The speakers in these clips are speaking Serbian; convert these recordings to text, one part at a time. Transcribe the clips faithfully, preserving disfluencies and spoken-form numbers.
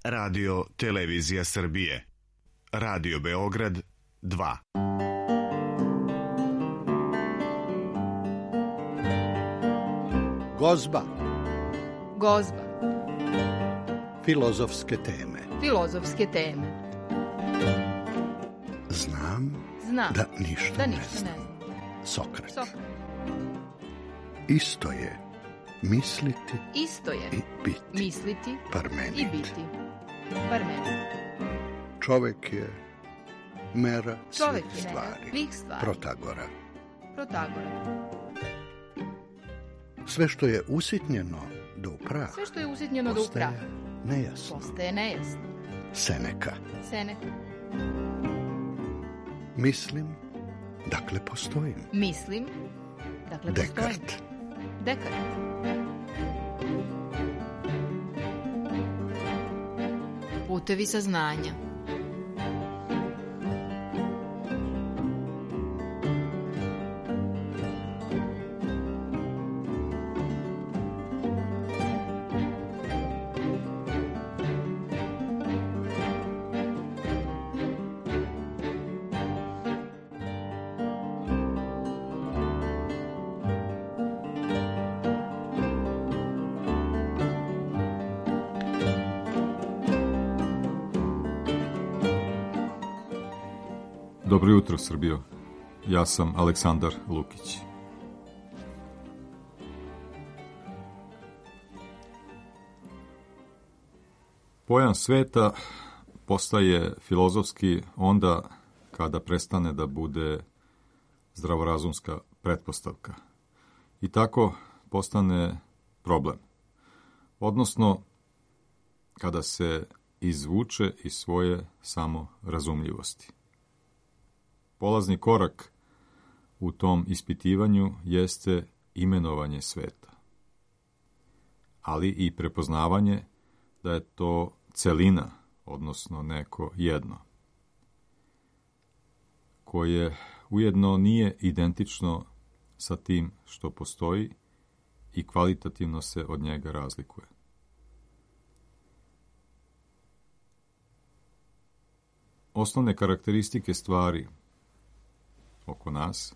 Radio Televizija Srbije. Radio Beograd dva. Gozba. Gozba. Filozofske teme. Filozofske teme. Znam, Znam da ništa, da ne ništa znam. ne znam. Sokrat. Sokrat. Isto je misliti Isto je i biti. misliti Parmenid. i biti. Parmenid. Čovek je mera Čovek svih je stvari. mera svih stvari. Protagora. Protagora. Sve što je usitnjeno do prah Sve što je usitnjeno do postaje upraha nejasno. postaje nejasno. Seneka. Seneka. Mislim, dakle postojim. Mislim, dakle postojim. Dekart. Dekart. Putevi saznanja. Dobro jutro, Srbijo. Ja sam Aleksandar Lukić. Pojam sveta postaje filozofski onda kada prestane da bude zdravorazumska pretpostavka. I tako postane problem. Odnosno, kada se izvuče iz svoje samorazumljivosti. Polazni korak u tom ispitivanju jeste imenovanje sveta, ali i prepoznavanje da je to celina, odnosno neko jedno, koje ujedno nije identično sa tim što postoji i kvalitativno se od njega razlikuje. Osnovne karakteristike stvari oko nas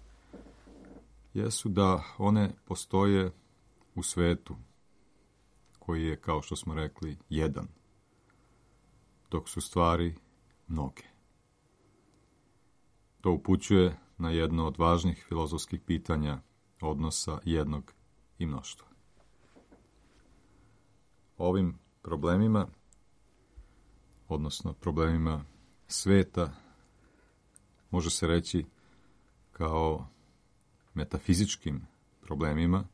jesu da one postoje u svetu koji je, kao što smo rekli, jedan, dok su stvari mnoge. To upućuje na jedno od važnih filozofskih pitanja odnosa jednog i mnoštva. Ovim problemima, odnosno problemima sveta, može se reći kao metafizičkim problemima,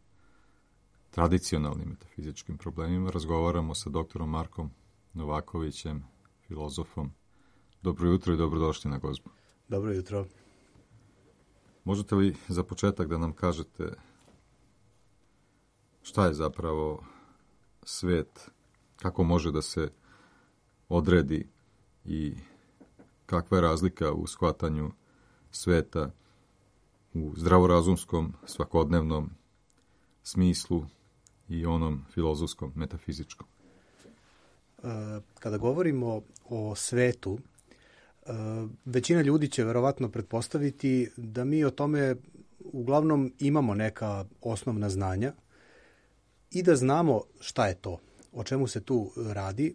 tradicionalnim metafizičkim problemima, razgovaramo sa doktorom Markom Novakovićem, filozofom. Dobro jutro i dobrodošli na Gozbu. Dobro jutro. Možete li za početak da nam kažete šta je zapravo svet, kako može da se odredi i kakva je razlika u shvatanju sveta u zdravorazumskom, svakodnevnom smislu i onom filozofskom, metafizičkom? Kada govorimo o svetu, većina ljudi će verovatno pretpostaviti da mi o tome uglavnom imamo neka osnovna znanja i da znamo šta je to, o čemu se tu radi.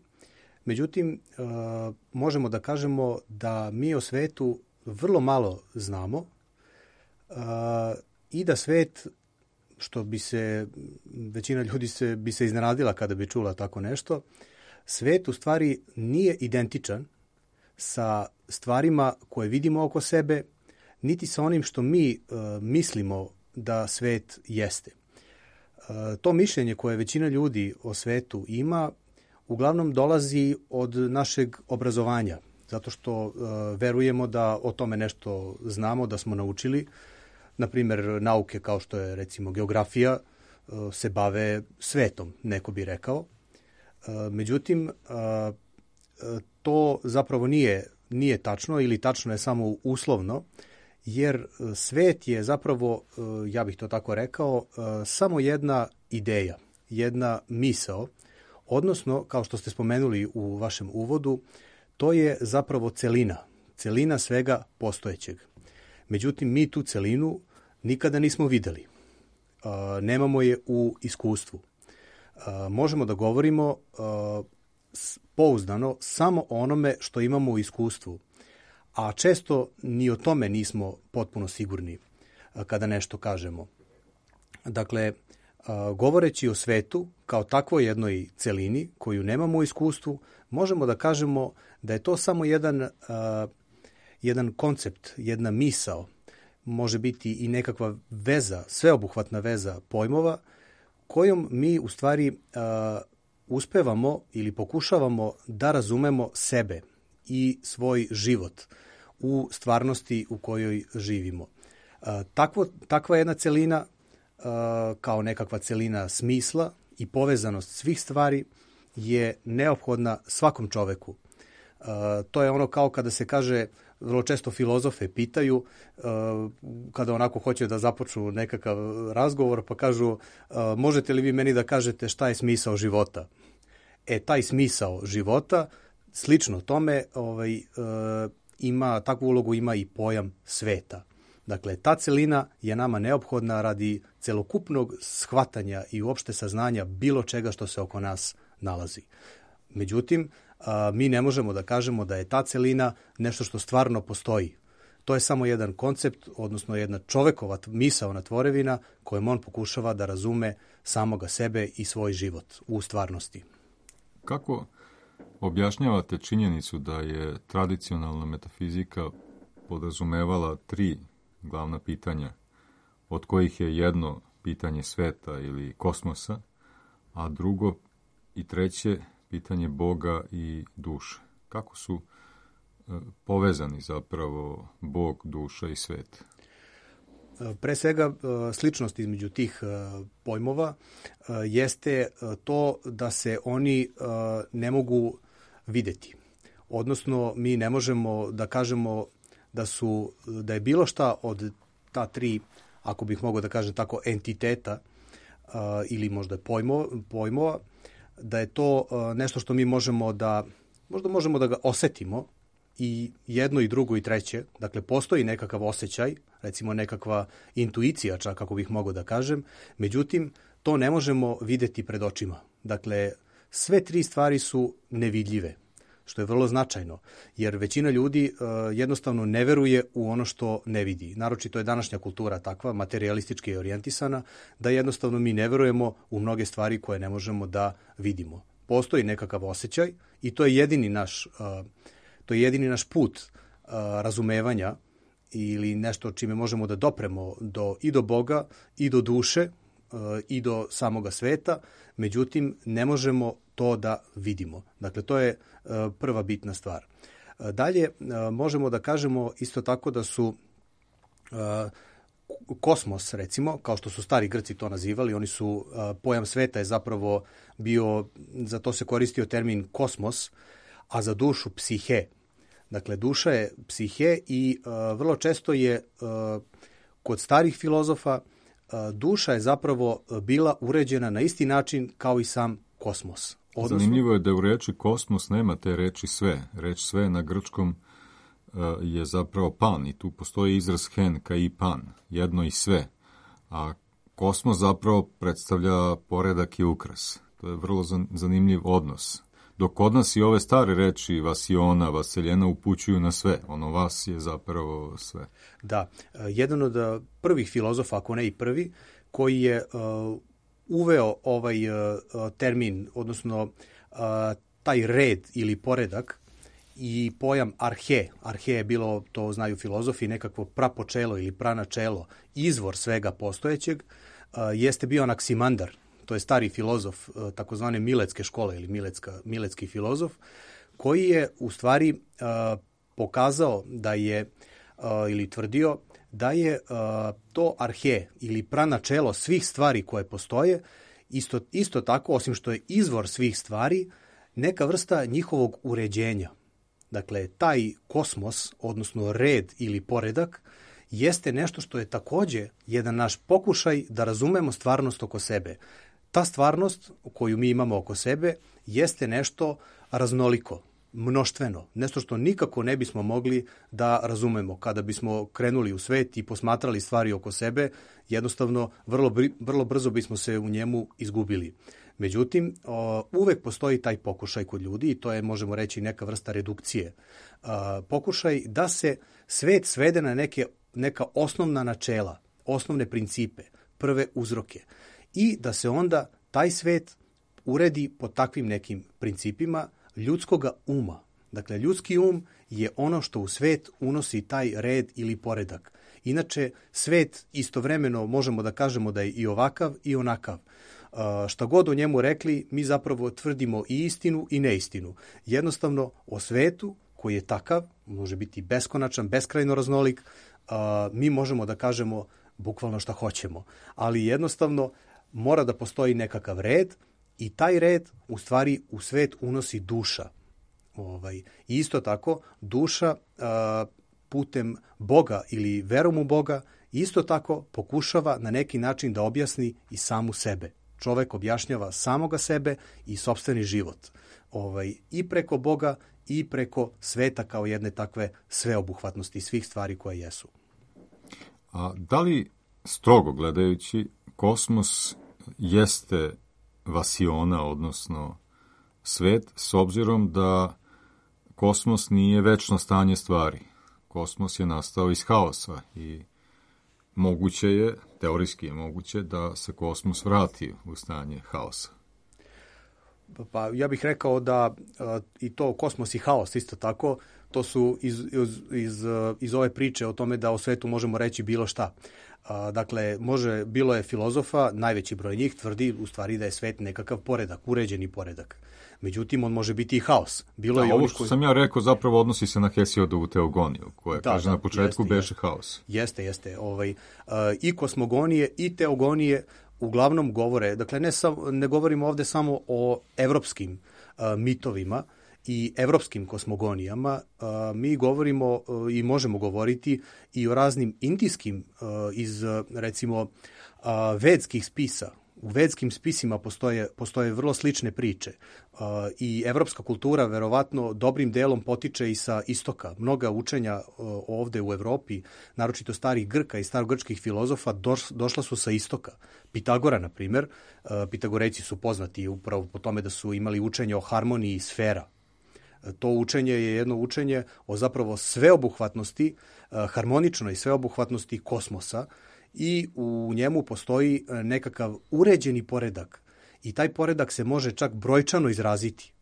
Međutim, možemo da kažemo da mi o svetu vrlo malo znamo i da svet, što bi se, većina ljudi se, bi se iznenadila kada bi čula tako nešto, svet u stvari nije identičan sa stvarima koje vidimo oko sebe, niti sa onim što mi uh, mislimo da svet jeste. Uh, to mišljenje koje većina ljudi o svetu ima, uglavnom dolazi od našeg obrazovanja, zato što uh, verujemo da o tome nešto znamo, da smo naučili. Na primjer, nauke kao što je recimo geografija uh, se bave svetom, neko bi rekao. Uh, međutim, uh, to zapravo nije, nije tačno ili tačno je samo uslovno, jer svet je zapravo, ja bih to tako rekao, samo jedna ideja, jedna misao Odnosno, kao što ste spomenuli u vašem uvodu, to je zapravo celina, celina svega postojećeg. Međutim, mi tu celinu nikada nismo videli. Nemamo je u iskustvu. Možemo da govorimo pouzdano samo o onome što imamo u iskustvu, a često ni o tome nismo potpuno sigurni kada nešto kažemo. Dakle, govoreći o svetu kao takvoj jednoj celini koju nemamo u iskustvu, možemo da kažemo da je to samo jedan, jedan koncept, jedna misao, može biti i nekakva veza, sveobuhvatna veza pojmova kojom mi u stvari uspevamo ili pokušavamo da razumemo sebe i svoj život u stvarnosti u kojoj živimo. Takvo, takva jedna celina kao nekakva celina smisla i povezanost svih stvari je neophodna svakom čoveku. To je ono kao kada se kaže, vrlo često filozofe pitaju, kada onako hoće da započnu nekakav razgovor, pa kažu, možete li vi meni da kažete šta je smisao života? E, taj smisao života, slično tome, ovaj, ima, takvu ulogu ima i pojam sveta. Dakle, ta celina je nama neophodna radi celokupnog shvatanja i uopšte saznanja bilo čega što se oko nas nalazi. Međutim, mi ne možemo da kažemo da je ta celina nešto što stvarno postoji. To je samo jedan koncept, odnosno jedna čovekova misaona tvorevina kojom on pokušava da razume samoga sebe i svoj život u stvarnosti. Kako objašnjavate činjenicu da je tradicionalna metafizika podrazumevala tri glavna pitanja, od kojih je jedno pitanje sveta ili kosmosa, a drugo i treće pitanje Boga i duše? Kako su e, povezani zapravo Bog, duša i svet? Pre svega, sličnost između tih pojmova jeste to da se oni ne mogu videti. Odnosno, mi ne možemo da kažemo da su, da je bilo šta od ta tri, ako bih mogao da kažem tako, entiteta ili možda pojmova, pojmova, da je to nešto što mi možemo da, možda možemo da ga osetimo, i jedno i drugo i treće. Dakle, postoji nekakav osjećaj, recimo nekakva intuicija, čak kako bih mogao da kažem, međutim, to ne možemo videti pred očima. Dakle, sve tri stvari su nevidljive, što je vrlo značajno, jer većina ljudi uh, jednostavno ne veruje u ono što ne vidi. Naročito je današnja kultura takva, materialistički orijentisana, da jednostavno mi ne verujemo u mnoge stvari koje ne možemo da vidimo. Postoji nekakav osjećaj i to je jedini naš uh, To je jedini naš put uh, razumevanja ili nešto čime možemo da dopremo do, i do Boga, i do duše, uh, i do samoga sveta, međutim ne možemo to da vidimo. Dakle, to je uh, prva bitna stvar. Uh, dalje, uh, možemo da kažemo isto tako da su uh, kosmos, recimo, kao što su stari Grci to nazivali, oni su, uh, pojam sveta je zapravo bio, za to se koristio termin kosmos, a za dušu psihe. Dakle, duša je psihe i uh, vrlo često je uh, kod starih filozofa uh, duša je zapravo bila uređena na isti način kao i sam kosmos. Odnosno, zanimljivo je da u reči kosmos nema te reči sve. Reč sve na grčkom uh, je zapravo pan i tu postoji izraz hen ka i pan, jedno i sve. A kosmos zapravo predstavlja poredak i ukras. To je vrlo zanimljiv odnos. Dok kod nas i ove stare reči vasiona, vaseljena upućuju na sve. Ono vas je zapravo sve. Da. Jedan od prvih filozofa, ako ne i prvi, koji je uh, uveo ovaj uh, termin, odnosno uh, taj red ili poredak i pojam arhe. Arhe je bilo, to znaju filozofi, nekakvo prapočelo ili pranačelo, izvor svega postojećeg, uh, jeste bio Anaksimandar. To je stari filozof takozvane Miletske škole ili Miletska, Miletski filozof, koji je u stvari uh, pokazao da je uh, ili tvrdio da je uh, to arhe ili pranačelo svih stvari koje postoje, isto, isto tako, osim što je izvor svih stvari, neka vrsta njihovog uređenja. Dakle, taj kosmos, odnosno red ili poredak, jeste nešto što je takođe jedan naš pokušaj da razumemo stvarnost oko sebe. Ta stvarnost koju mi imamo oko sebe jeste nešto raznoliko, mnoštveno, nešto što nikako ne bismo mogli da razumemo. Kada bismo krenuli u svet i posmatrali stvari oko sebe, jednostavno vrlo, vrlo brzo bismo se u njemu izgubili. Međutim, uvek postoji taj pokušaj kod ljudi i to je, možemo reći, neka vrsta redukcije. Pokušaj da se svet svede na neke, neka osnovna načela, osnovne principe, prve uzroke i da se onda taj svet uredi po takvim nekim principima ljudskoga uma. Dakle, ljudski um je ono što u svet unosi taj red ili poredak. Inače, svet istovremeno možemo da kažemo da je i ovakav i onakav. Uh, šta god o njemu rekli, mi zapravo tvrdimo i istinu i neistinu. Jednostavno, o svetu koji je takav, može biti beskonačan, beskrajno raznolik, uh, mi možemo da kažemo bukvalno šta hoćemo. Ali jednostavno mora da postoji nekakav red i taj red u stvari u svet unosi duša. Ovaj, isto tako, duša uh, putem Boga ili verom u Boga isto tako pokušava na neki način da objasni i samu sebe. Čovek objašnjava samoga sebe i sopstveni život. Ovaj, i preko Boga i preko sveta kao jedne takve sveobuhvatnosti svih stvari koje jesu. A da li, strogo gledajući, kosmos jeste vasiona, odnosno svet, s obzirom da kosmos nije večno stanje stvari. Kosmos je nastao iz haosa i moguće je, teorijski je moguće, da se kosmos vrati u stanje haosa. Pa ja bih rekao da a, i to kosmos i haos isto tako, to su iz, iz, iz, iz ove priče o tome da o svetu možemo reći bilo šta. A, dakle, može, bilo je filozofa, najveći broj njih tvrdi u stvari da je svet nekakav poredak, uređeni poredak. Međutim, on može biti i haos. Bilo da, je ovo što koji... sam ja rekao zapravo odnosi se na Hesijodovu teogoniju, koja da, kaže da, na početku jeste, beše haos. Jeste, jeste. Ovaj, uh, I kosmogonije i teogonije uglavnom govore, dakle ne, sam, ne govorimo ovde samo o evropskim uh, mitovima i evropskim kosmogonijama, uh, mi govorimo uh, i možemo govoriti i o raznim indijskim uh, iz, recimo, uh, vedskih spisa. U vedskim spisima postoje, postoje vrlo slične priče uh, i evropska kultura verovatno dobrim delom potiče i sa istoka. Mnoga učenja uh, ovde u Evropi, naročito starih Grka i starogrčkih filozofa, doš, došla su sa istoka. Pitagora, na primjer, uh, Pitagorejci su poznati upravo po tome da su imali učenje o harmoniji sfera. Uh, to učenje je jedno učenje o zapravo sveobuhvatnosti, uh, harmoničnoj sveobuhvatnosti kosmosa, i u njemu postoji nekakav uređeni poredak i taj poredak se može čak brojčano izraziti.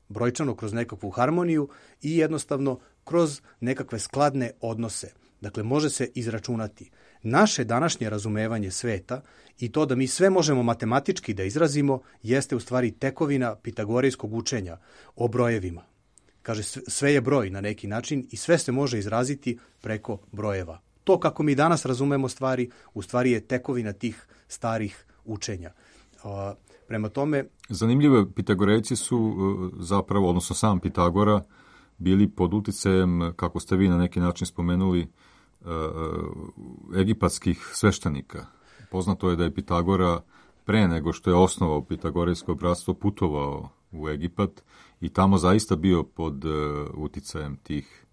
Brojčano kroz nekakvu harmoniju i jednostavno kroz nekakve skladne odnose. Dakle, može se izračunati. Naše današnje razumevanje sveta i to da mi sve možemo matematički da izrazimo jeste u stvari tekovina pitagorejskog učenja o brojevima. Kaže, sve je broj na neki način i sve se može izraziti preko brojeva. To kako mi danas razumemo stvari, u stvari je tekovina tih starih učenja. A, prema tome... Zanimljivo, Pitagorejci su zapravo, odnosno sam Pitagora, bili pod uticajem, kako ste vi na neki način spomenuli, egipatskih sveštenika. Poznato je da je Pitagora pre nego što je osnovao Pitagorejsko bratstvo putovao u Egipat i tamo zaista bio pod uticajem tih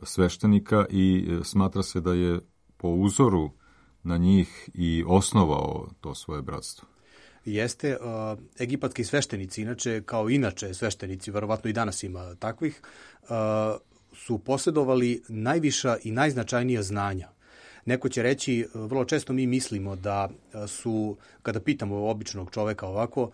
sveštenika i smatra se da je po uzoru na njih i osnovao to svoje bratstvo. Jeste, uh, egipatski sveštenici, inače kao inače sveštenici, verovatno i danas ima takvih, uh, su posjedovali najviša i najznačajnija znanja. Neko će reći, vrlo često mi mislimo da su, kada pitamo običnog čoveka ovako,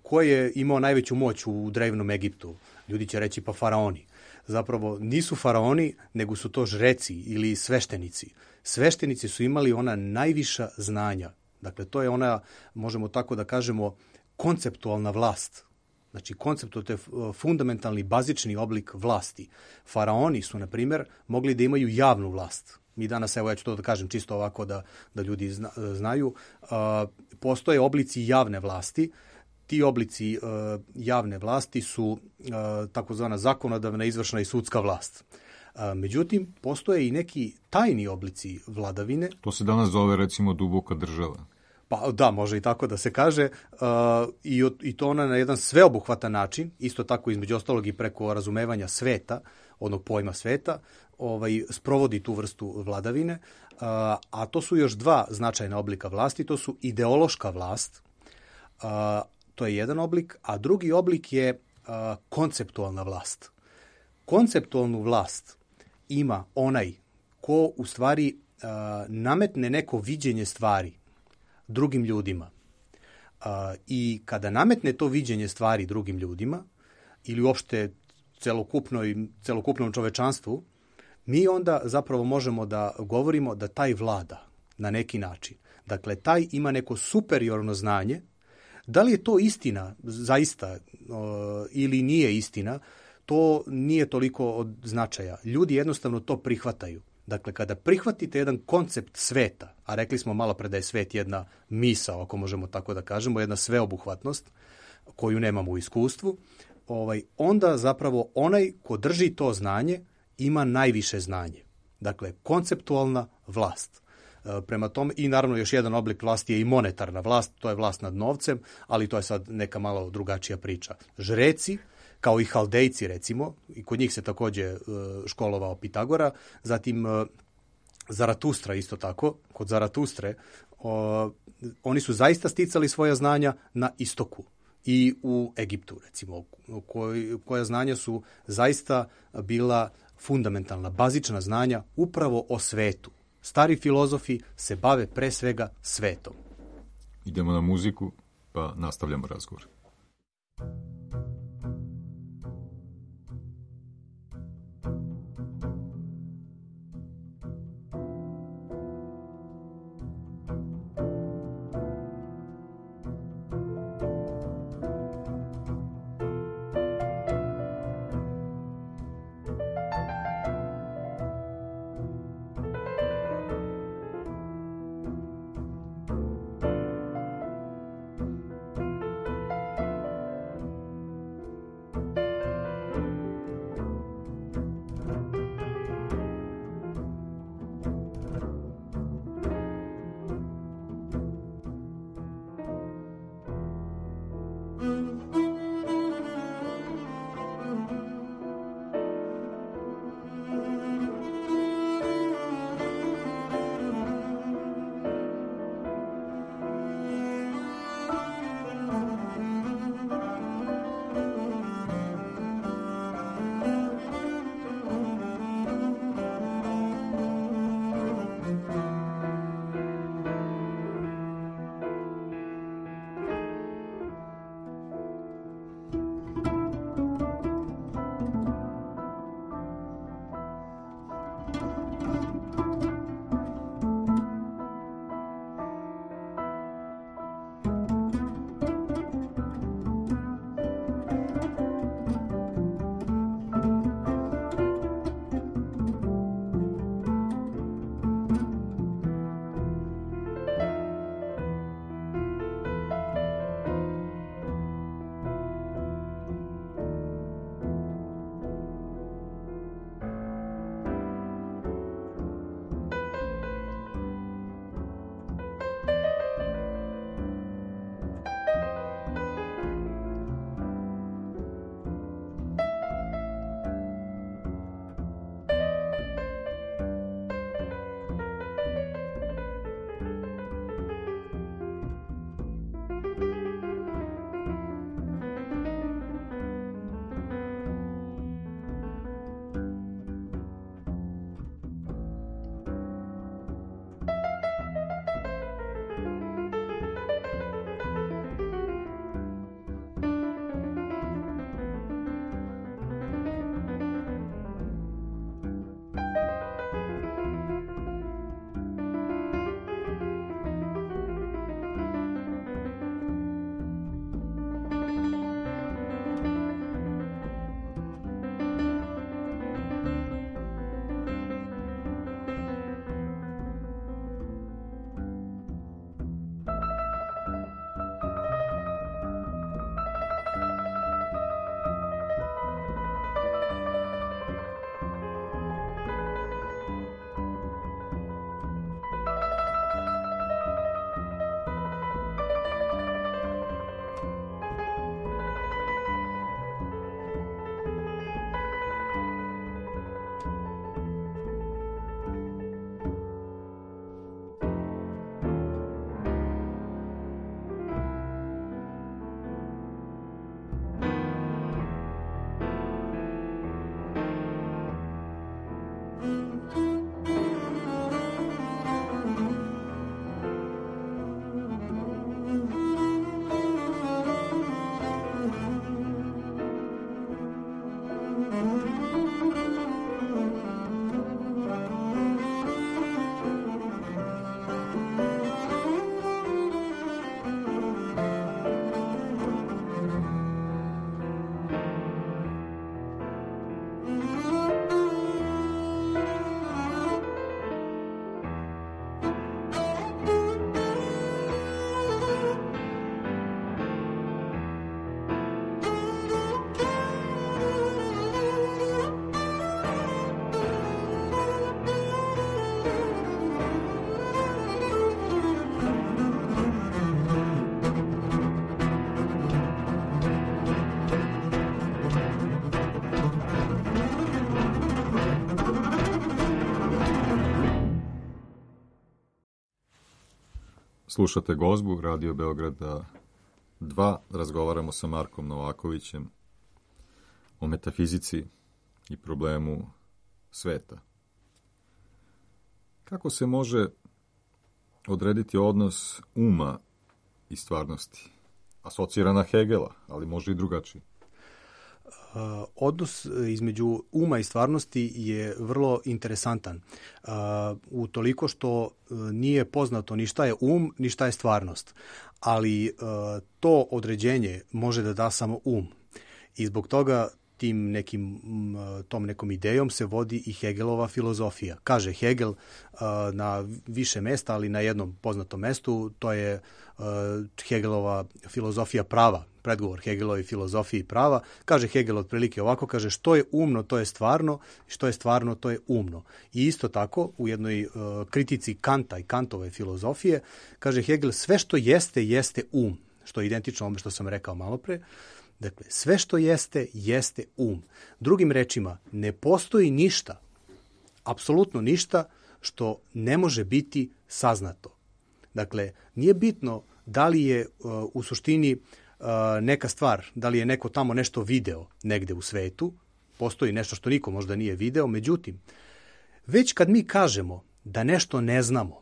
ko je imao najveću moć u drevnom Egiptu? Ljudi će reći pa faraoni. Zapravo nisu faraoni, nego su to žreci ili sveštenici. Sveštenici su imali ona najviša znanja. Dakle, to je ona, možemo tako da kažemo, konceptualna vlast. Znači, koncept to je fundamentalni, bazični oblik vlasti. Faraoni su, na primjer, mogli da imaju javnu vlast. Mi danas, evo ja ću to da kažem čisto ovako da, da ljudi zna, znaju, uh, postoje oblici javne vlasti. Ti oblici uh, javne vlasti su uh, takozvana zakonodavna, izvršna i sudska vlast. Uh, međutim, postoje i neki tajni oblici vladavine. To se danas zove, recimo, duboka država. Pa da, može i tako da se kaže, uh, i, i to ona na jedan sveobuhvatan način, isto tako između ostalog i preko razumevanja sveta, onog pojma sveta, ovaj, sprovodi tu vrstu vladavine, uh, a to su još dva značajna oblika vlasti, to su ideološka vlast, uh, to je jedan oblik, a drugi oblik je uh, konceptualna vlast. Konceptualnu vlast ima onaj ko u stvari uh, nametne neko viđenje stvari drugim ljudima. Uh, I kada nametne to viđenje stvari drugim ljudima ili uopšte celokupnoj, celokupnom čovečanstvu, mi onda zapravo možemo da govorimo da taj vlada na neki način. Dakle, taj ima neko superiorno znanje. Da li je to istina zaista uh, ili nije istina, to nije toliko od značaja. Ljudi jednostavno to prihvataju. Dakle, kada prihvatite jedan koncept sveta, a rekli smo malo pre da je svet jedna misao, ako možemo tako da kažemo, jedna sveobuhvatnost koju nemamo u iskustvu, ovaj, onda zapravo onaj ko drži to znanje ima najviše znanje. Dakle, konceptualna vlast. E, prema tome, i naravno još jedan oblik vlasti je i monetarna vlast, to je vlast nad novcem, ali to je sad neka malo drugačija priča. Žreci, kao i Haldejci recimo, i kod njih se takođe školovao Pitagora, zatim Zaratustra isto tako, kod Zaratustre, o, oni su zaista sticali svoja znanja na istoku i u Egiptu recimo, koj, koja znanja su zaista bila fundamentalna, bazična znanja upravo o svetu. Stari filozofi se bave pre svega svetom. Idemo na muziku, pa nastavljamo razgovor. Slušate Gozbu, Radio Beograda dva. Razgovaramo sa Markom Novakovićem o metafizici i problemu sveta. Kako se može odrediti odnos uma i stvarnosti? Asocira na Hegela, ali može i drugačije. Uh, odnos između uma i stvarnosti je vrlo interesantan. Uh, u toliko što uh, nije poznato ni šta je um, ni šta je stvarnost. Ali uh, to određenje može da da samo um. I zbog toga tim nekim, tom nekom idejom se vodi i Hegelova filozofija. Kaže Hegel uh, na više mesta, ali na jednom poznatom mestu, to je uh, Hegelova filozofija prava, predgovor Hegelovi filozofiji prava. Kaže Hegel otprilike ovako, kaže što je umno, to je stvarno, što je stvarno, to je umno. I isto tako, u jednoj uh, kritici Kanta i Kantove filozofije, kaže Hegel sve što jeste, jeste um, što je identično ovome što sam rekao malo pre. Dakle, sve što jeste, jeste um. Drugim rečima, ne postoji ništa, apsolutno ništa što ne može biti saznato. Dakle, nije bitno da li je uh, u suštini uh, neka stvar, da li je neko tamo nešto video negde u svetu, postoji nešto što niko možda nije video, međutim, već kad mi kažemo da nešto ne znamo,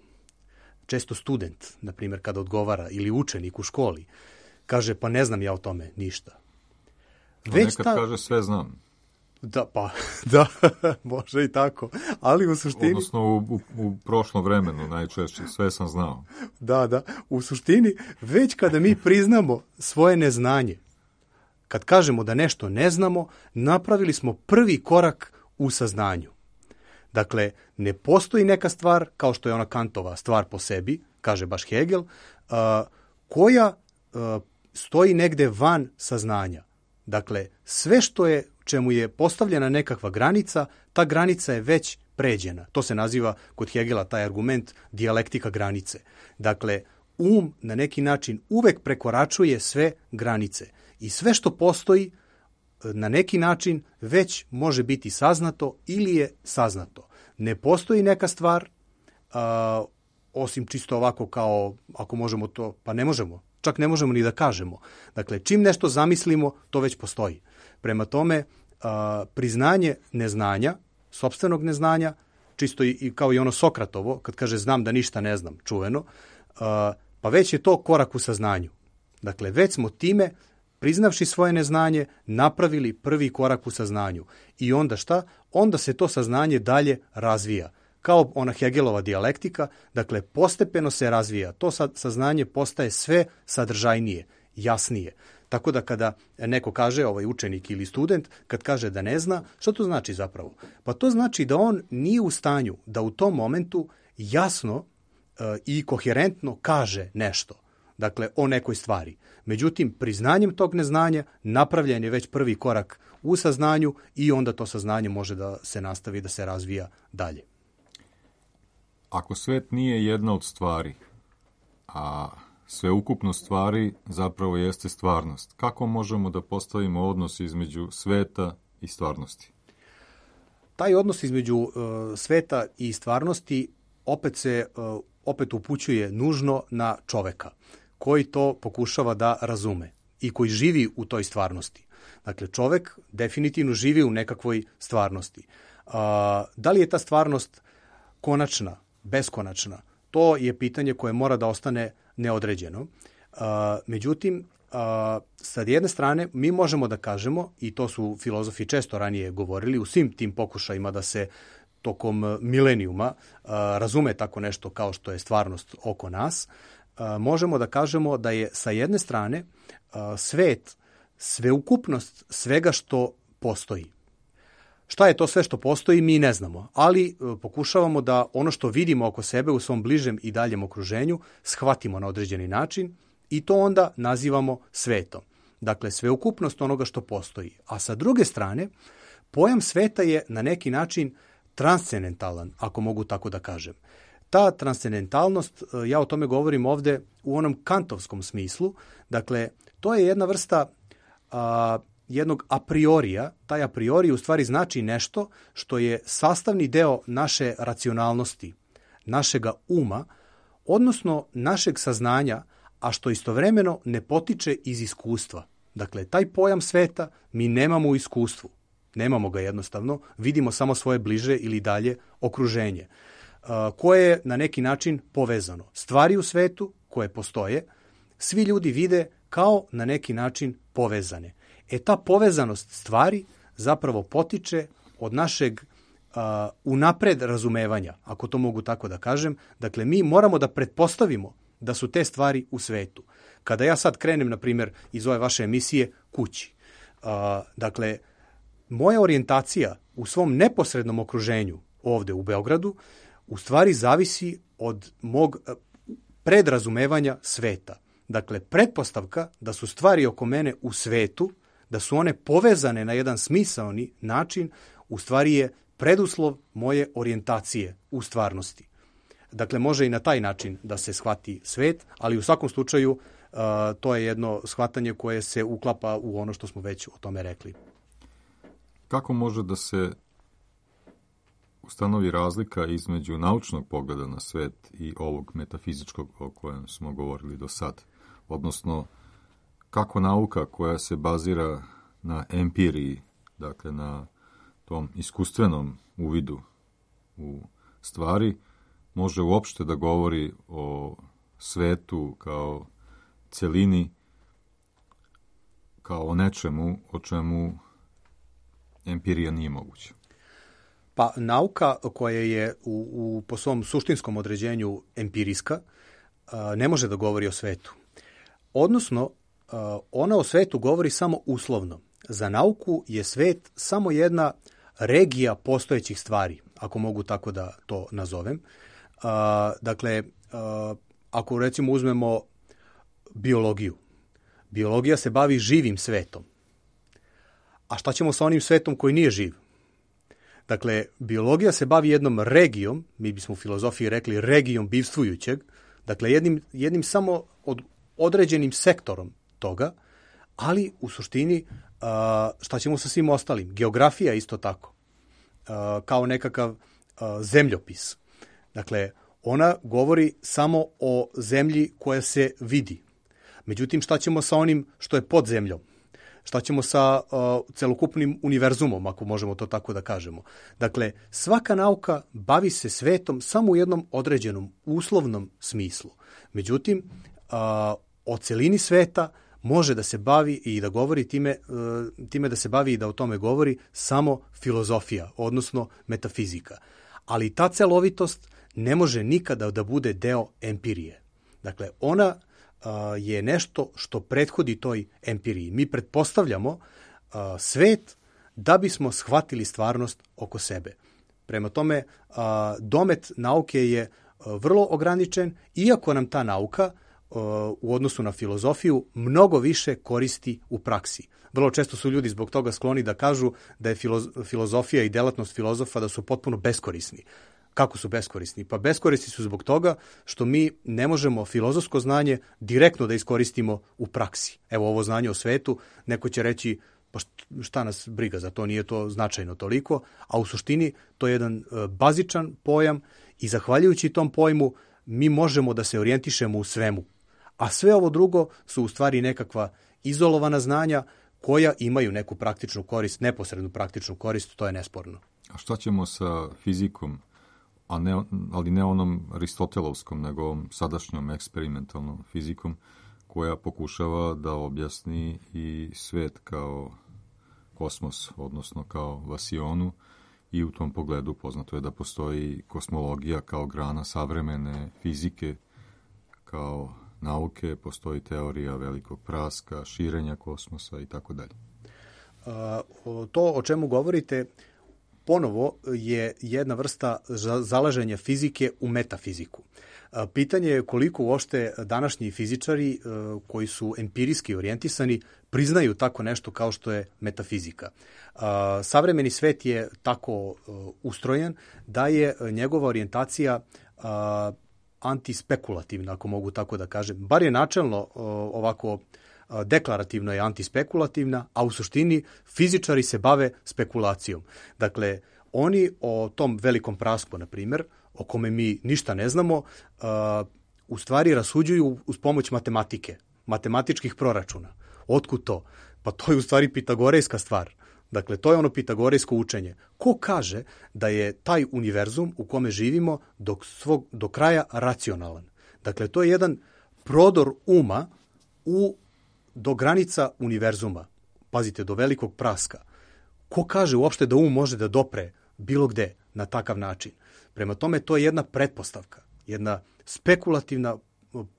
često student, na primjer, kada odgovara, ili učenik u školi, kaže, pa ne znam ja o tome ništa. Već nekad ta... kaže sve znam. Da, pa, da, može i tako. Ali u suštini... Odnosno u, u, u prošlom vremenu najčešće, sve sam znao. Da, da, u suštini, već kada mi priznamo svoje neznanje, kad kažemo da nešto ne znamo, napravili smo prvi korak u saznanju. Dakle, ne postoji neka stvar, kao što je ona Kantova stvar po sebi, kaže baš Hegel, uh, koja uh, stoji negde van saznanja. Dakle, sve što je, čemu je postavljena nekakva granica, ta granica je već pređena. To se naziva kod Hegela taj argument dijalektika granice. Dakle, um na neki način uvek prekoračuje sve granice. I sve što postoji na neki način već može biti saznato ili je saznato. Ne postoji neka stvar, a, osim čisto ovako kao, ako možemo to, pa ne možemo. Čak ne možemo ni da kažemo. Dakle, čim nešto zamislimo, to već postoji. Prema tome, a, priznanje neznanja, sopstvenog neznanja, čisto i, i kao i ono Sokratovo, kad kaže znam da ništa ne znam, čuveno, a, pa već je to korak u saznanju. Dakle, već smo time, priznavši svoje neznanje, napravili prvi korak u saznanju. I onda šta? Onda se to saznanje dalje razvija. Kao ona Hegelova dijalektika, dakle, postepeno se razvija. To saznanje postaje sve sadržajnije, jasnije. Tako da kada neko kaže, ovaj učenik ili student, kad kaže da ne zna, što to znači zapravo? Pa to znači da on nije u stanju da u tom momentu jasno e, i koherentno kaže nešto. Dakle, o nekoj stvari. Međutim, priznanjem tog neznanja napravljen je već prvi korak u saznanju i onda to saznanje može da se nastavi, da se razvija dalje. Ako svet nije jedna od stvari, a sveukupno stvari zapravo jeste stvarnost, kako možemo da postavimo odnos između sveta i stvarnosti? Taj odnos između uh, sveta i stvarnosti opet se uh, opet upućuje nužno na čoveka, koji to pokušava da razume i koji živi u toj stvarnosti. Dakle, čovek definitivno živi u nekakvoj stvarnosti. Uh, da li je ta stvarnost konačna, beskonačna? To je pitanje koje mora da ostane neodređeno. Uh, međutim, uh, sa jedne strane mi možemo da kažemo, i to su filozofi često ranije govorili, u svim tim pokušajima da se tokom milenijuma uh, razume tako nešto kao što je stvarnost oko nas, uh, možemo da kažemo da je sa jedne strane uh, svet sveukupnost svega što postoji. Šta je to sve što postoji, mi ne znamo, ali pokušavamo da ono što vidimo oko sebe u svom bližem i daljem okruženju shvatimo na određeni način i to onda nazivamo svetom. Dakle, sveukupnost onoga što postoji. A sa druge strane, pojam sveta je na neki način transcendentalan, ako mogu tako da kažem. Ta transcendentalnost, ja o tome govorim ovde u onom kantovskom smislu, dakle, to je jedna vrsta a, jednog a priorija. Taj a priori u stvari znači nešto što je sastavni deo naše racionalnosti, našega uma, odnosno našeg saznanja, a što istovremeno ne potiče iz iskustva. Dakle, taj pojam sveta mi nemamo u iskustvu. Nemamo ga jednostavno, vidimo samo svoje bliže ili dalje okruženje, koje je na neki način povezano. Stvari u svetu koje postoje, svi ljudi vide kao na neki način povezane. E ta povezanost stvari zapravo potiče od našeg uh, unapred razumevanja, ako to mogu tako da kažem. Dakle, mi moramo da pretpostavimo da su te stvari u svetu. Kada ja sad krenem, na primjer, iz ove vaše emisije kući, uh, dakle, moja orijentacija u svom neposrednom okruženju ovde u Beogradu u stvari zavisi od mog predrazumevanja sveta. Dakle, pretpostavka da su stvari oko mene u svetu, da su one povezane na jedan smisaoni način, u stvari je preduslov moje orijentacije u stvarnosti. Dakle, može i na taj način da se shvati svet, ali u svakom slučaju uh, to je jedno shvatanje koje se uklapa u ono što smo već o tome rekli. Kako može da se ustanovi razlika između naučnog pogleda na svet i ovog metafizičkog o kojem smo govorili do sad? Odnosno, kako nauka koja se bazira na empiriji, dakle na tom iskustvenom uvidu u stvari, može uopšte da govori o svetu kao celini, kao o nečemu o čemu empirija nije moguća? Pa nauka koja je u, u, po svom suštinskom određenju empirijska ne može da govori o svetu. Odnosno, ona o svetu govori samo uslovno. Za nauku je svet samo jedna regija postojećih stvari, ako mogu tako da to nazovem. Dakle, ako recimo uzmemo biologiju, biologija se bavi živim svetom. A šta ćemo sa onim svetom koji nije živ? Dakle, biologija se bavi jednom regijom, mi bismo u filozofiji rekli regijom bivstvujućeg, dakle jednim, jednim samo od, određenim sektorom toga, ali u suštini šta ćemo sa svim ostalim? Geografija isto tako, kao nekakav zemljopis. Dakle, ona govori samo o zemlji koja se vidi. Međutim, šta ćemo sa onim što je pod zemljom? Šta ćemo sa uh, celokupnim univerzumom, ako možemo to tako da kažemo? Dakle, svaka nauka bavi se svetom samo u jednom određenom uslovnom smislu. Međutim, uh, o celini sveta može da se bavi i da govori time, uh, time da se bavi i da o tome govori samo filozofija, odnosno metafizika. Ali ta celovitost ne može nikada da bude deo empirije. Dakle, ona je nešto što prethodi toj empiriji. Mi pretpostavljamo uh, svet da bismo shvatili stvarnost oko sebe. Prema tome, uh, domet nauke je uh, vrlo ograničen, iako nam ta nauka uh, u odnosu na filozofiju mnogo više koristi u praksi. Vrlo često su ljudi zbog toga skloni da kažu da je filoz- filozofija i delatnost filozofa da su potpuno beskorisni. Kako su beskorisni? Pa beskorisni su zbog toga što mi ne možemo filozofsko znanje direktno da iskoristimo u praksi. Evo ovo znanje o svetu, neko će reći pa šta nas briga, za to nije to značajno toliko, a u suštini to je jedan bazičan pojam i zahvaljujući tom pojmu mi možemo da se orijentišemo u svemu. A sve ovo drugo su u stvari nekakva izolovana znanja koja imaju neku praktičnu korist, neposrednu praktičnu korist, to je nesporno. A šta ćemo sa fizikom? A ne, ali ne onom aristotelovskom, nego ovom sadašnjom eksperimentalnom fizikom koja pokušava da objasni i svet kao kosmos, odnosno kao vasionu, i u tom pogledu poznato je da postoji kosmologija kao grana savremene fizike, kao nauke, postoji teorija velikog praska, širenja kosmosa i tako dalje. To o čemu govorite ponovo je jedna vrsta zalaženja fizike u metafiziku. Pitanje je koliko uopšte današnji fizičari koji su empirijski orijentisani priznaju tako nešto kao što je metafizika. Savremeni svet je tako ustrojen da je njegova orijentacija antispekulativna, ako mogu tako da kažem. Bar je načelno ovako deklarativno je antispekulativna, a u suštini fizičari se bave spekulacijom. Dakle, oni o tom velikom prasku, na primjer, o kome mi ništa ne znamo, u stvari rasuđuju uz pomoć matematike, matematičkih proračuna. Otkud to? Pa to je u stvari pitagorejska stvar. Dakle, to je ono pitagorejsko učenje. Ko kaže da je taj univerzum u kome živimo do, svog, do kraja racionalan? Dakle, to je jedan prodor uma u, do granica univerzuma. Pazite, do velikog praska. Ko kaže uopšte da um može da dopre bilo gde na takav način? Prema tome, to je jedna pretpostavka, jedna spekulativna,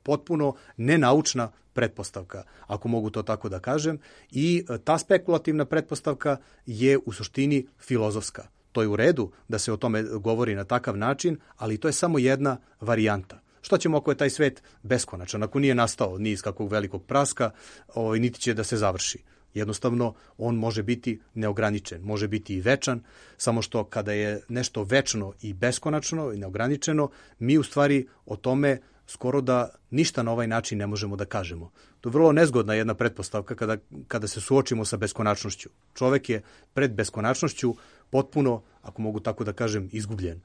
potpuno nenaučna pretpostavka, ako mogu to tako da kažem, i ta spekulativna pretpostavka je u suštini filozofska. To je u redu da se o tome govori na takav način, ali to je samo jedna varijanta. Što ćemo ako je taj svet beskonačan, ako nije nastao ni iz kakvog velikog praska, ovaj, niti će da se završi. Jednostavno, on može biti neograničen, može biti i večan, samo što kada je nešto večno i beskonačno i neograničeno, mi u stvari o tome skoro da ništa na ovaj način ne možemo da kažemo. To je vrlo nezgodna jedna pretpostavka kada, kada se suočimo sa beskonačnošću. Čovek je pred beskonačnošću potpuno, ako mogu tako da kažem, izgubljen.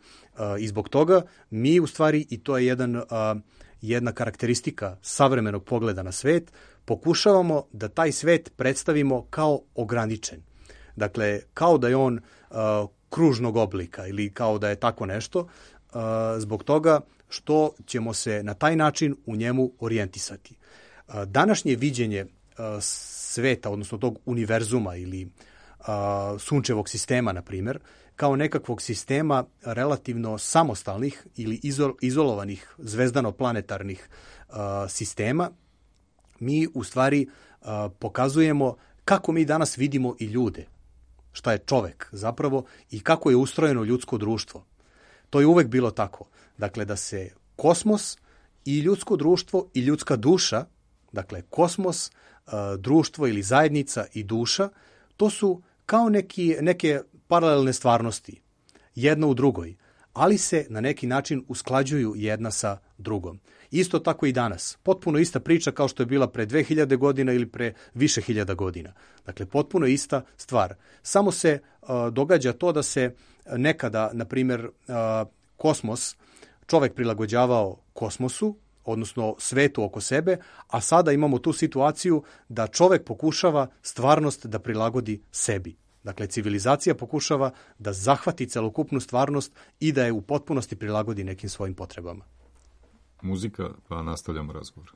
I zbog toga mi u stvari, i to je jedan, jedna karakteristika savremenog pogleda na svet, pokušavamo da taj svet predstavimo kao ograničen. Dakle, kao da je on kružnog oblika ili kao da je tako nešto, zbog toga što ćemo se na taj način u njemu orijentisati. Današnje viđenje sveta, odnosno tog univerzuma ili sunčevog sistema, na primjer, kao nekakvog sistema relativno samostalnih ili izolovanih zvezdano-planetarnih sistema, mi u stvari pokazujemo kako mi danas vidimo i ljude, šta je čovek zapravo i kako je ustrojeno ljudsko društvo. To je uvek bilo tako. Dakle, da se kosmos i ljudsko društvo i ljudska duša, dakle kosmos, društvo ili zajednica i duša, to su kao neki, neke paralelne stvarnosti, jedna u drugoj, ali se na neki način usklađuju jedna sa drugom. Isto tako i danas. Potpuno ista priča kao što je bila pre dve hiljade godina ili pre više hiljada godina. Dakle, potpuno ista stvar. Samo se uh, događa to da se nekada, na primjer, uh, kosmos, čovek prilagođavao kosmosu, odnosno svetu oko sebe, a sada imamo tu situaciju da čovek pokušava stvarnost da prilagodi sebi. Dakle, civilizacija pokušava da zahvati celokupnu stvarnost i da je u potpunosti prilagodi nekim svojim potrebama. Muzika, pa nastavljamo razgovor.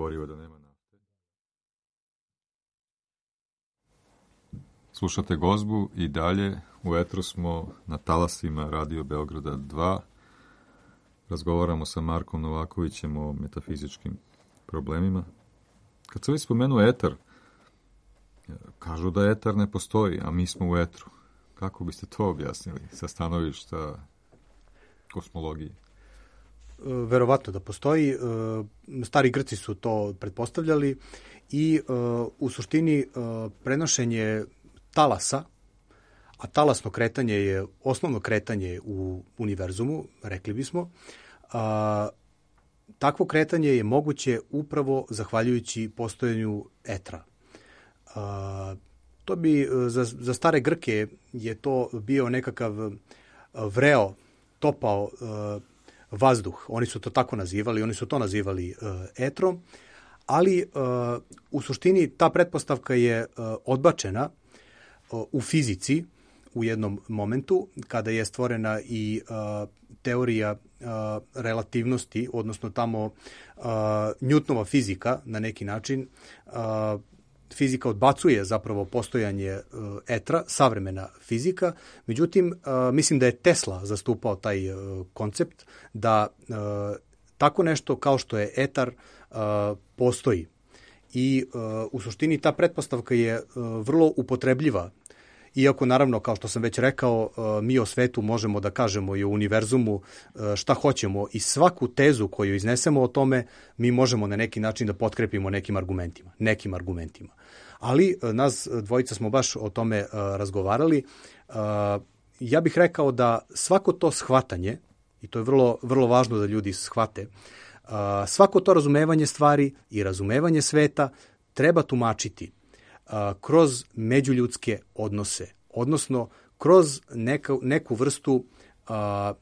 gorivo, da nema nafte. Slušate Gozbu i dalje u etru smo na talasima Radio Beograda dva. Razgovaramo sa Markom Novakovićem o metafizičkim problemima. Kad se već spomenu etar, kažu da etar ne postoji, a mi smo u etru. Kako biste to objasnili sa stanovišta kosmologije? Verovatno da postoji. Stari Grci su to pretpostavljali i u suštini prenošenje talasa, a talasno kretanje je osnovno kretanje u univerzumu, rekli bismo, a, takvo kretanje je moguće upravo zahvaljujući postojanju etra. A, to bi za, za stare Grke je to bio nekakav vreo, topao a, vazduh. Oni su to tako nazivali, oni su to nazivali a, etrom, ali a, u suštini ta pretpostavka je a, odbačena a, u fizici u jednom momentu, kada je stvorena i uh, teorija uh, relativnosti, odnosno tamo uh, Newtonova fizika na neki način. Uh, fizika odbacuje zapravo postojanje uh, etra, savremena fizika, međutim, uh, mislim da je Tesla zastupao taj uh, koncept da uh, tako nešto kao što je etar uh, postoji. I uh, u suštini ta pretpostavka je uh, vrlo upotrebljiva. Iako, naravno, kao što sam već rekao, mi o svetu možemo da kažemo i o univerzumu šta hoćemo i svaku tezu koju iznesemo o tome mi možemo na neki način da potkrepimo nekim argumentima. Nekim argumentima. Ali nas dvojica smo baš o tome razgovarali. Ja bih rekao da svako to shvatanje, i to je vrlo, vrlo važno da ljudi shvate, svako to razumevanje stvari i razumevanje sveta treba tumačiti kroz međuljudske odnose, odnosno kroz neka, neku vrstu a,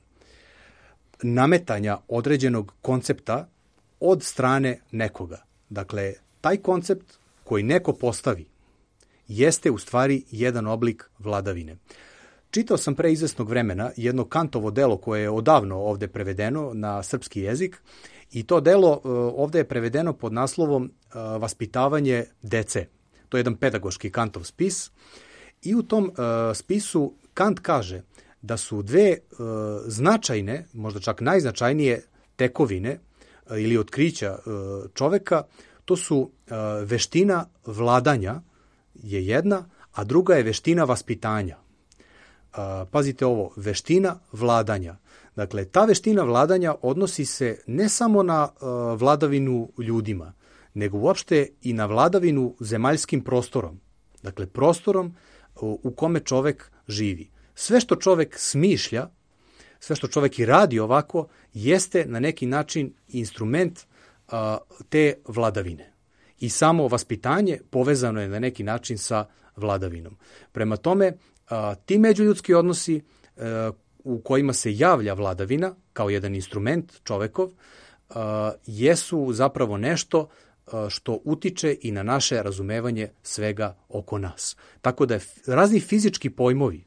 nametanja određenog koncepta od strane nekoga. Dakle, taj koncept koji neko postavi jeste u stvari jedan oblik vladavine. Čitao sam pre izvesnog vremena jedno Kantovo delo koje je odavno ovde prevedeno na srpski jezik i to delo ovde je prevedeno pod naslovom Vaspitavanje dece. To je jedan pedagoški Kantov spis i u tom uh, spisu Kant kaže da su dve uh, značajne, možda čak najznačajnije tekovine uh, ili otkrića uh, čoveka, to su uh, veština vladanja je jedna, a druga je veština vaspitanja. Uh, pazite ovo, veština vladanja. Dakle, ta veština vladanja odnosi se ne samo na uh, vladavinu ljudima, nego uopšte i na vladavinu zemaljskim prostorom. Dakle, prostorom u kome čovek živi. Sve što čovek smišlja, sve što čovek i radi ovako, jeste na neki način instrument a, te vladavine. I samo vaspitanje povezano je na neki način sa vladavinom. Prema tome, a, ti međuljudski odnosi a, u kojima se javlja vladavina kao jedan instrument čovekov, a, jesu zapravo nešto što utiče i na naše razumevanje svega oko nas. Tako da je razni fizički pojmovi,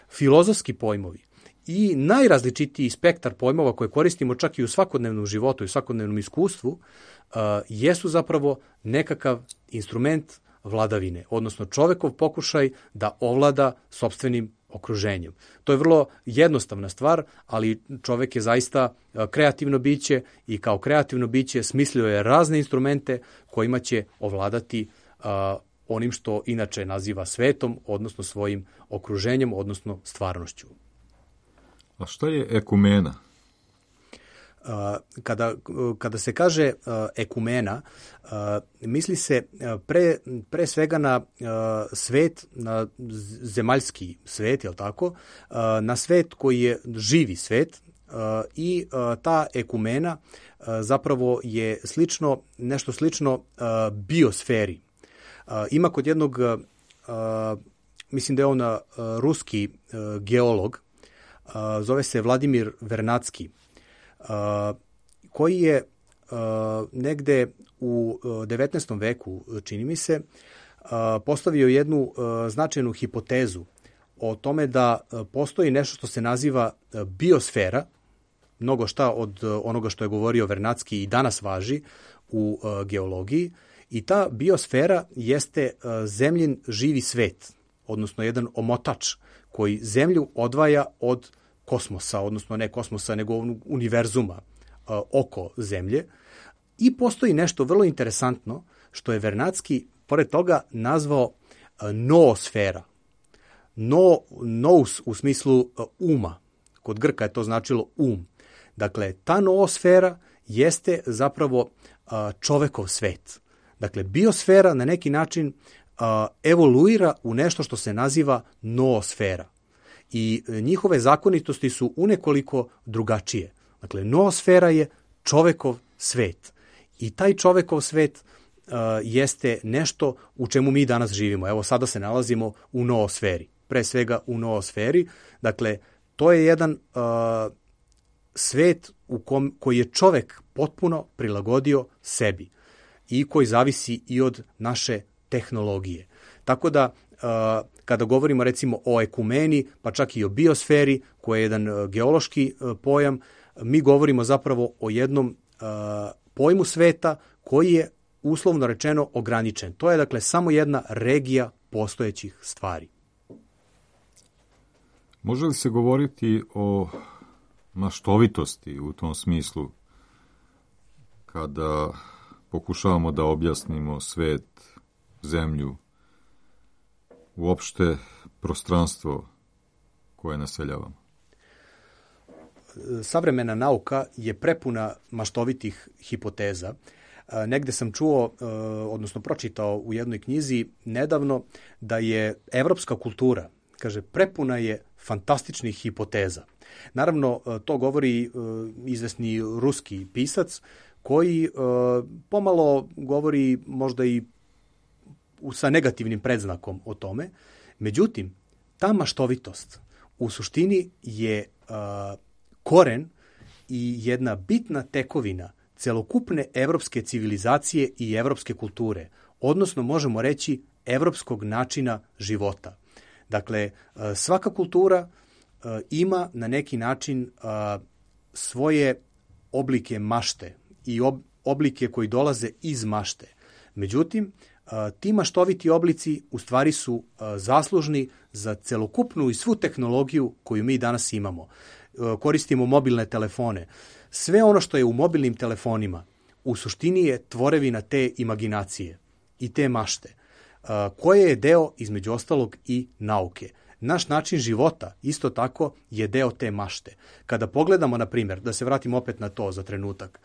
filozofski pojmovi i najrazličitiji spektar pojmova koje koristimo čak i u svakodnevnom životu i u svakodnevnom iskustvu uh, jesu zapravo nekakav instrument vladavine, odnosno čovekov pokušaj da ovlada sopstvenim okruženjem. To je vrlo jednostavna stvar, ali čovek je zaista kreativno biće i kao kreativno biće smislio je razne instrumente kojima će ovladati uh, onim što inače naziva svetom, odnosno svojim okruženjem, odnosno stvarnošću. A šta je ekumena? Kada, kada se kaže ekumena, misli se pre, pre svega na svet, na zemaljski svet, jel tako? Na svet koji je živi svet i ta ekumena zapravo je slično, nešto slično biosferi. Ima kod jednog, mislim da je on ruski geolog, zove se Vladimir Vernadski, Uh, koji je uh, negde u devetnaestom veku, čini mi se, uh, postavio jednu uh, značajnu hipotezu o tome da uh, postoji nešto što se naziva uh, biosfera, mnogo šta od uh, onoga što je govorio Vernadski i danas važi u uh, geologiji i ta biosfera jeste uh, zemljin živi svet, odnosno jedan omotač koji zemlju odvaja od kosmosa, odnosno ne kosmosa, nego univerzuma uh, oko zemlje. I postoji nešto vrlo interesantno što je Vernadski, pored toga, nazvao uh, noosfera. No, nous u smislu uh, uma. Kod Grka je to značilo um. Dakle, ta noosfera jeste zapravo uh, čovekov svet. Dakle, biosfera na neki način uh, evoluira u nešto što se naziva noosfera. I njihove zakonitosti su unekoliko drugačije. Dakle, noosfera je čovekov svet. I taj čovekov svet uh, jeste nešto u čemu mi danas živimo. Evo, sada se nalazimo u noosferi. Pre svega u noosferi. Dakle, to je jedan uh, svet u kom, koji je čovek potpuno prilagodio sebi i koji zavisi i od naše tehnologije. Tako da, uh, kada govorimo recimo o ekumeni, pa čak i o biosferi, koja je jedan uh, geološki uh, pojam, mi govorimo zapravo o jednom uh, pojmu sveta koji je uslovno rečeno ograničen. To je dakle samo jedna regija postojećih stvari. Može li se govoriti o maštovitosti u tom smislu kada pokušavamo da objasnimo svet, zemlju, uopšte prostranstvo koje naseljavamo? Savremena nauka je prepuna maštovitih hipoteza. Negde sam čuo, odnosno pročitao u jednoj knjizi nedavno da je evropska kultura, kaže, prepuna je fantastičnih hipoteza. Naravno, to govori izvesni ruski pisac koji pomalo govori možda i sa negativnim predznakom o tome. Međutim, ta maštovitost u suštini je koren i jedna bitna tekovina celokupne evropske civilizacije i evropske kulture, odnosno možemo reći evropskog načina života. Dakle, svaka kultura ima na neki način svoje oblike mašte i oblike koji dolaze iz mašte. Međutim, ti maštoviti oblici u stvari su zaslužni za celokupnu i svu tehnologiju koju mi danas imamo. Koristimo mobilne telefone. Sve ono što je u mobilnim telefonima u suštini je tvorevina te imaginacije i te mašte, koje je deo, između ostalog, i nauke. Naš način života isto tako je deo te mašte. Kada pogledamo, na primjer, da se vratim opet na to za trenutak,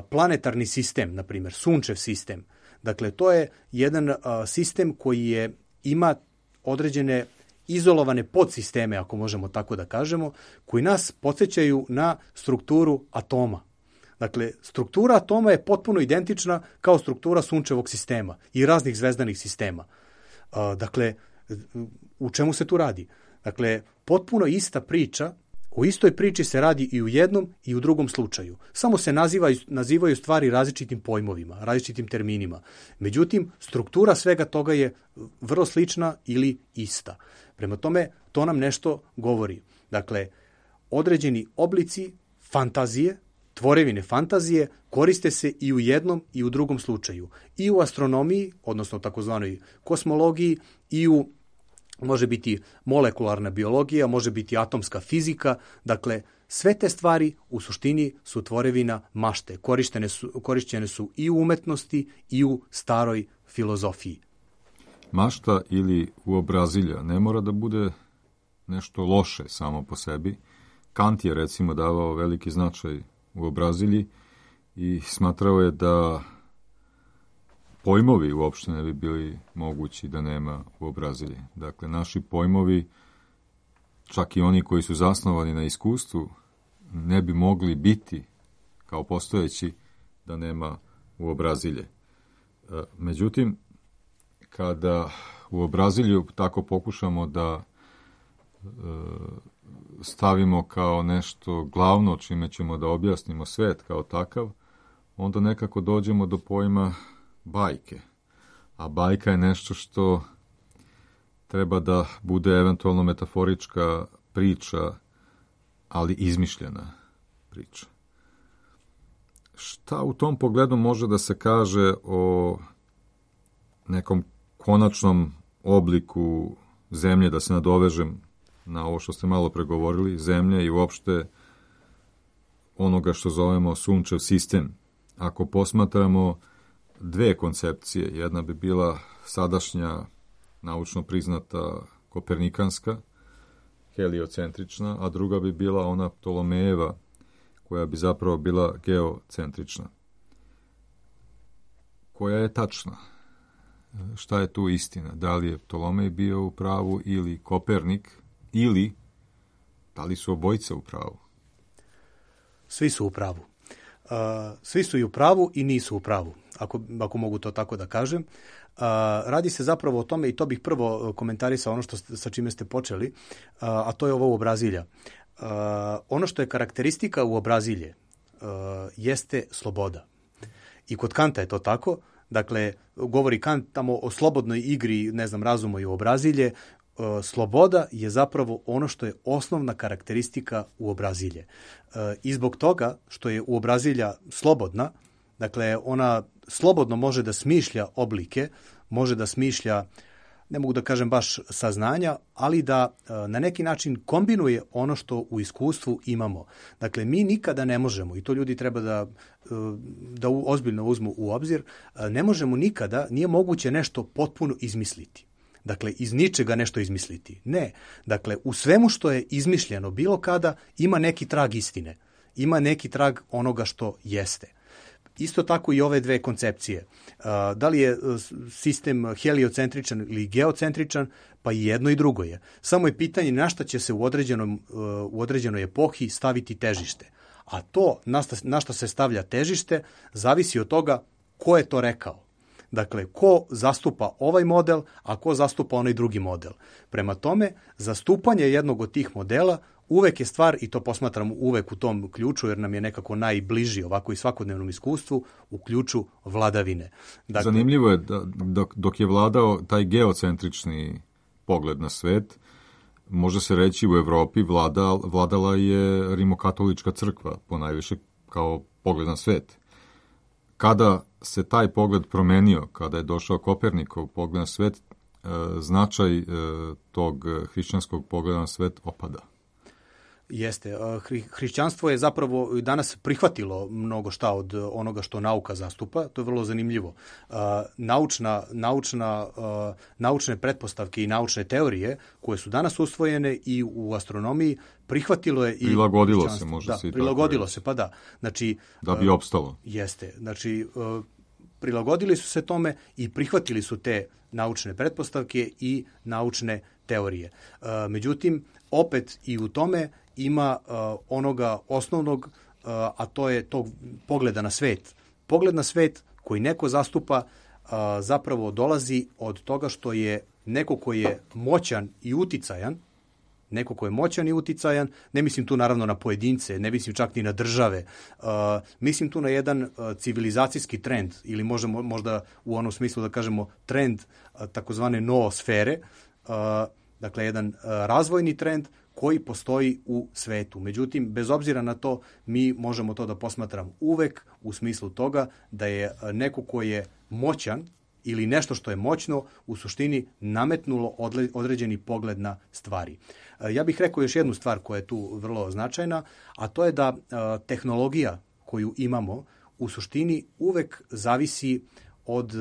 planetarni sistem, na primjer, sunčev sistem, dakle, to je jedan sistem koji je, ima određene izolovane podsisteme, ako možemo tako da kažemo, koji nas podsjećaju na strukturu atoma. Dakle, struktura atoma je potpuno identična kao struktura sunčevog sistema i raznih zvezdanih sistema. Dakle, u čemu se tu radi? Dakle, potpuno ista priča, o istoj priči se radi i u jednom i u drugom slučaju. Samo se nazivaju, nazivaju stvari različitim pojmovima, različitim terminima. Međutim, struktura svega toga je vrlo slična ili ista. Prema tome, to nam nešto govori. Dakle, određeni oblici fantazije, tvorevine fantazije, koriste se i u jednom i u drugom slučaju. I u astronomiji, odnosno takozvanoj kosmologiji, i u, može biti molekularna biologija, može biti atomska fizika. Dakle, sve te stvari u suštini su tvorevina mašte. Korištene su, korišćene su i u umetnosti i u staroj filozofiji. Mašta ili uobrazilja ne mora da bude nešto loše samo po sebi. Kant je recimo davao veliki značaj uobrazilji i smatrao je da pojmovi uopšte ne bi bili mogući da nema uobrazilje. Dakle, naši pojmovi, čak i oni koji su zasnovani na iskustvu, ne bi mogli biti kao postojeći da nema uobrazilje. Međutim, kada uobrazilju tako pokušamo da e, stavimo kao nešto glavno čime ćemo da objasnimo svet kao takav, onda nekako dođemo do pojma bajke. A bajka je nešto što treba da bude eventualno metaforička priča, ali izmišljena priča. šta u tom pogledu može da se kaže o nekom konačnom obliku zemlje, da se nadovežem na ovo što ste malo pregovorili, zemlje i uopšte onoga što zovemo sunčev sistem? Ako posmatramo dve koncepcije, jedna bi bila sadašnja naučno priznata kopernikanska, heliocentrična, a druga bi bila ona Ptolomejeva, koja bi zapravo bila geocentrična. Koja je tačna? Šta je tu istina? Da li je Ptolomej bio u pravu ili Kopernik, ili da li su obojice u pravu? Svi su u pravu. Uh, svi su i u pravu i nisu u pravu, ako, ako mogu to tako da kažem. Uh, radi se zapravo o tome, i to bih prvo komentarisao ono što ste, sa čime ste počeli, uh, a to je ovo uobrazilja. Uh, ono što je karakteristika uobrazilje uh, jeste sloboda. I kod Kanta je to tako. Dakle, govori Kant tamo o slobodnoj igri, ne znam, razumo i uobrazilje. Uh, sloboda je zapravo ono što je osnovna karakteristika uobrazilje. Uh, I zbog toga što je uobrazilja slobodna, dakle, ona slobodno može da smišlja oblike, može da smišlja, ne mogu da kažem baš saznanja, ali da uh, na neki način kombinuje ono što u iskustvu imamo. Dakle, mi nikada ne možemo, i to ljudi treba da, uh, da u, ozbiljno uzmu u obzir, uh, ne možemo nikada, nije moguće nešto potpuno izmisliti. Dakle, iz ničega nešto izmisliti. Ne. Dakle, u svemu što je izmišljeno bilo kada ima neki trag istine. Ima neki trag onoga što jeste. Isto tako i ove dve koncepcije. Da li je sistem heliocentričan ili geocentričan, pa i jedno i drugo je. Samo je pitanje na šta će se u, određenom, u određenoj epohi staviti težište. A to na šta se stavlja težište zavisi od toga ko je to rekao. Dakle, ko zastupa ovaj model, a ko zastupa onaj drugi model. Prema tome, zastupanje jednog od tih modela uvek je stvar, i to posmatram uvek u tom ključu, jer nam je nekako najbliži ovako i svakodnevnom iskustvu, u ključu vladavine. Dakle, zanimljivo je da dok, dok je vladao taj geocentrični pogled na svet, može se reći u Evropi vlada, vladala je rimokatolička crkva, ponajviše kao pogled na svet. Kada se taj pogled promenio, kada je došao Kopernikov pogled na svet, značaj tog hrišćanskog pogleda na svet opada. Jeste. Hri, hrišćanstvo je zapravo danas prihvatilo mnogo šta od onoga što nauka zastupa. To je vrlo zanimljivo. Uh, naučna, naučna, uh, naučne pretpostavke i naučne teorije koje su danas usvojene i u astronomiji prihvatilo je i prilagodilo se, može da, se i prilagodilo tako se, pa da. Znači, da bi opstalo. Uh, jeste. Znači, uh, prilagodili su se tome i prihvatili su te naučne pretpostavke i naučne teorije. Uh, međutim, opet i u tome ima uh, onoga osnovnog, uh, a to je tog pogleda na svet. Pogled na svet koji neko zastupa uh, zapravo dolazi od toga što je neko koji je moćan i uticajan, neko koji je moćan i uticajan, ne mislim tu naravno na pojedince, ne mislim čak ni na države, uh, mislim tu na jedan uh, civilizacijski trend, ili možemo možda u onom smislu da kažemo trend uh, takozvane noosfere, uh, dakle jedan uh, razvojni trend koji postoji u svetu. Međutim, bez obzira na to, mi možemo to da posmatramo uvek u smislu toga da je neko ko je moćan ili nešto što je moćno u suštini nametnulo određeni pogled na stvari. Ja bih rekao još jednu stvar koja je tu vrlo značajna, a to je da tehnologija koju imamo u suštini uvek zavisi od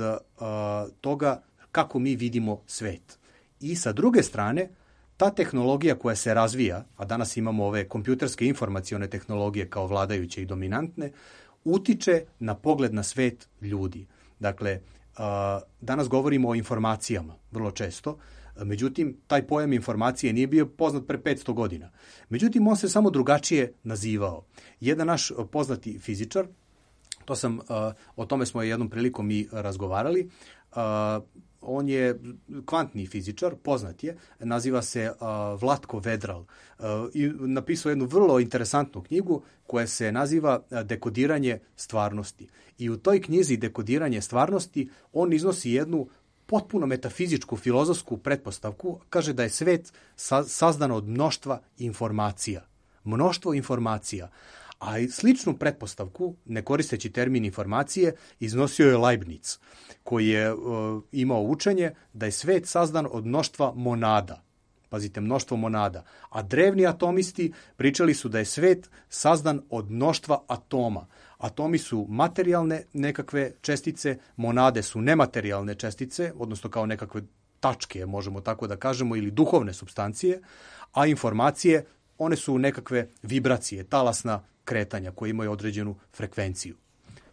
toga kako mi vidimo svet. I sa druge strane, ta tehnologija koja se razvija, a danas imamo ove kompjuterske informacione tehnologije kao vladajuće i dominantne, utiče na pogled na svet ljudi. Dakle, danas govorimo o informacijama vrlo često, međutim, taj pojam informacije nije bio poznat pre petsto godina. Međutim, on se samo drugačije nazivao. Jedan naš poznati fizičar, to sam, o tome smo jednom prilikom i razgovarali, on je kvantni fizičar, poznat je, naziva se uh, Vlatko Vedral uh, i napisao jednu vrlo interesantnu knjigu koja se naziva Dekodiranje stvarnosti. I u toj knjizi Dekodiranje stvarnosti on iznosi jednu potpuno metafizičku, filozofsku pretpostavku, kaže da je svet sa, sazdan od mnoštva informacija. Mnoštvo informacija. A i sličnu pretpostavku, ne koristeći termin informacije, iznosio je Leibniz, koji je uh, imao učenje da je svet sazdan od mnoštva monada. Pazite, mnoštvo monada. A drevni atomisti pričali su da je svet sazdan od mnoštva atoma. Atomi su materijalne nekakve čestice, monade su nematerijalne čestice, odnosno kao nekakve tačke, možemo tako da kažemo, ili duhovne supstancije, a informacije, one su nekakve vibracije, talasna kretanja koje imaju određenu frekvenciju.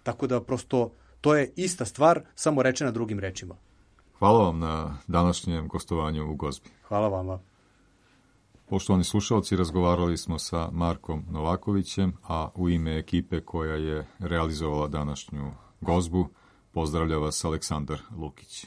Tako da prosto to je ista stvar, samo rečena drugim rečima. Hvala vam na današnjem gostovanju u Gozbi. Hvala vama. Poštovani slušalci, razgovarali smo sa Markom Novakovićem, a u ime ekipe koja je realizovala današnju Gozbu, pozdravlja vas Aleksandar Lukić.